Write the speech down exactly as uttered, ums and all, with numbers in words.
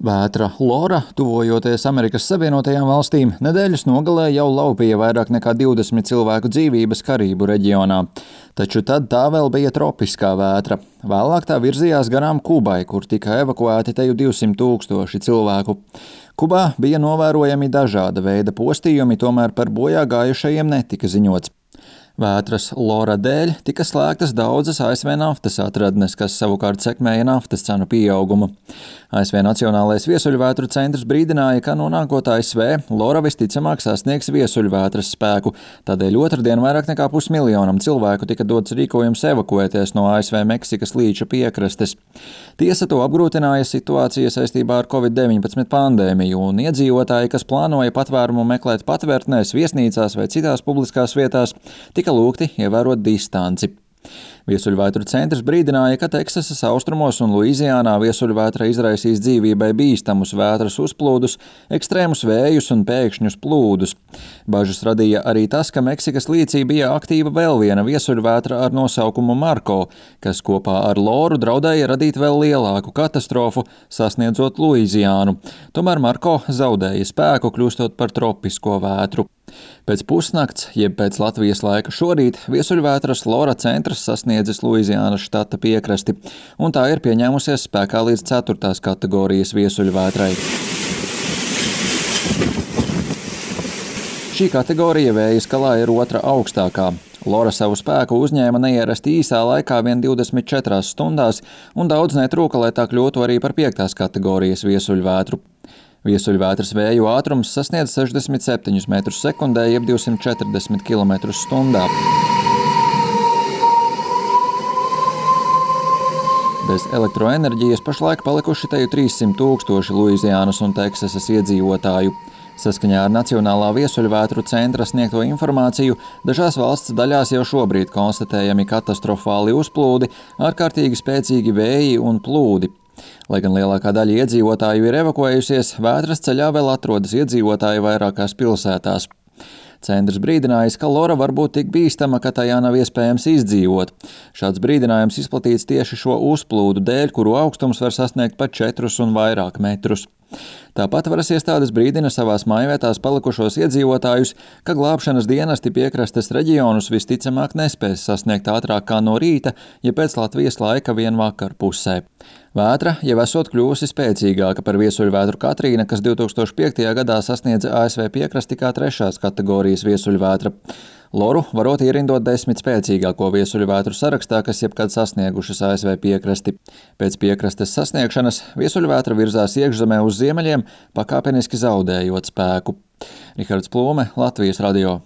Vētra Lora, tuvojoties Amerikas Savienotajām valstīm, nedēļas nogalē jau laupīja vairāk nekā divdesmit cilvēku dzīvības Karību reģionā. Taču tad tā vēl bija tropiskā vētra. Vēlāk tā virzījās garām Kubai, kur tika evakuēti teju divsimt tūkstoši cilvēku. Kubā bija novērojami dažāda veida postījumi, tomēr par bojā gājušajiem netika ziņots. Vētras Lora dēļ tika slēgtas daudzas A S V naftas atradnes, kas savukārt sekmēja naftas cenu pieaugumu. A S V Nacionālais viesuļvētru centrs brīdināja, ka nonākot A S V, Lora visticamāk sasniegs viesuļvētras spēku, tādēļ otrdien vairāk nekā pusmiljonam cilvēku tika dots rīkojums evakuēties no A S V Meksikas līča piekrastes. Tiesa to apgrūtināja situācija saistībā ar covid deviņpadsmit pandēmiju, un iedzīvotāji, kas plānoja patvērumu meklēt patvērtnēs, viesnīcās vai citās publiskās vietās, tika lūgti ievērot distanci. Viesuļvētru centrs brīdināja, ka Teksasas austrumos un Luiziānā viesuļvētra izraisīs dzīvībai bīstamus vētras uzplūdus, ekstrēmus vējus un pēkšņus plūdus. Bažas radīja arī tas, ka Meksikas līcī bija aktīva vēl viena viesuļvētra ar nosaukumu Marko, kas kopā ar Loru draudēja radīt vēl lielāku katastrofu, sasniedzot Luiziānu. Tomēr Marko zaudēja spēku, kļūstot par tropisko vētru. Pēc pusnakts, jeb pēc Latvijas laika šorīt, viesuļvētras Lora centrs sasniedzis Luiziānas štata piekrasti, un tā ir pieņēmusies spēkā līdz ceturtās kategorijas viesuļvētrai. Šī kategorija vēja skalā ir otra augstākā. Lora savu spēku uzņēma neierasti īsā laikā vien divdesmit četrās stundās, un daudz netrūka, lai tā kļūtu arī par piektās kategorijas viesuļvētru. Viesuļvētras vēju ātrums sasniedz sešdesmit septiņus metrus sekundē, jeb divsimt četrdesmit kilometrus stundā. Bez elektroenerģijas pašlaik palikuši teju trīssimt tūkstoši Luiziānas un Teksasas iedzīvotāju. Saskaņā ar Nacionālā viesuļvētru centra sniegto informāciju, dažās valsts daļās jau šobrīd konstatējami katastrofāli uzplūdi, ārkārtīgi spēcīgi vēji un plūdi. Lai gan lielākā daļa iedzīvotāju ir evakuējusies, vētras ceļā vēl atrodas iedzīvotāji vairākās pilsētās. Centrs brīdinājis, ka Lora var būt tik bīstama, ka tajā nav iespējams izdzīvot. Šāds brīdinājums izplatīts tieši šo uzplūdu dēļ, kuru augstums var sasniegt pat četrus un vairāk metrus. Tāpat varas iestādes brīdina savās mājvietās palikušos iedzīvotājus, ka glābšanas dienesti piekrastes reģionus visticamāk nespēs sasniegt ātrāk kā no rīta, ja pēc Latvijas laika vien vakar pusē. Vētra jau esot kļuvusi spēcīgāka par viesuļvētru Katrīna, kas divi tūkstoši piektajā gadā sasniedza A S V piekrasti kā trešās kategorijas viesuļvētra. Loru varot ierindot desmit spēcīgāko viesuļvētru sarakstā, kas jebkad sasniegušas A S V piekrasti. Pēc piekrastes sasniegšanas viesuļvētra virzās iekšzemē uz ziemeļiem, pakāpeniski zaudējot spēku. Rihards Plūme, Latvijas radio.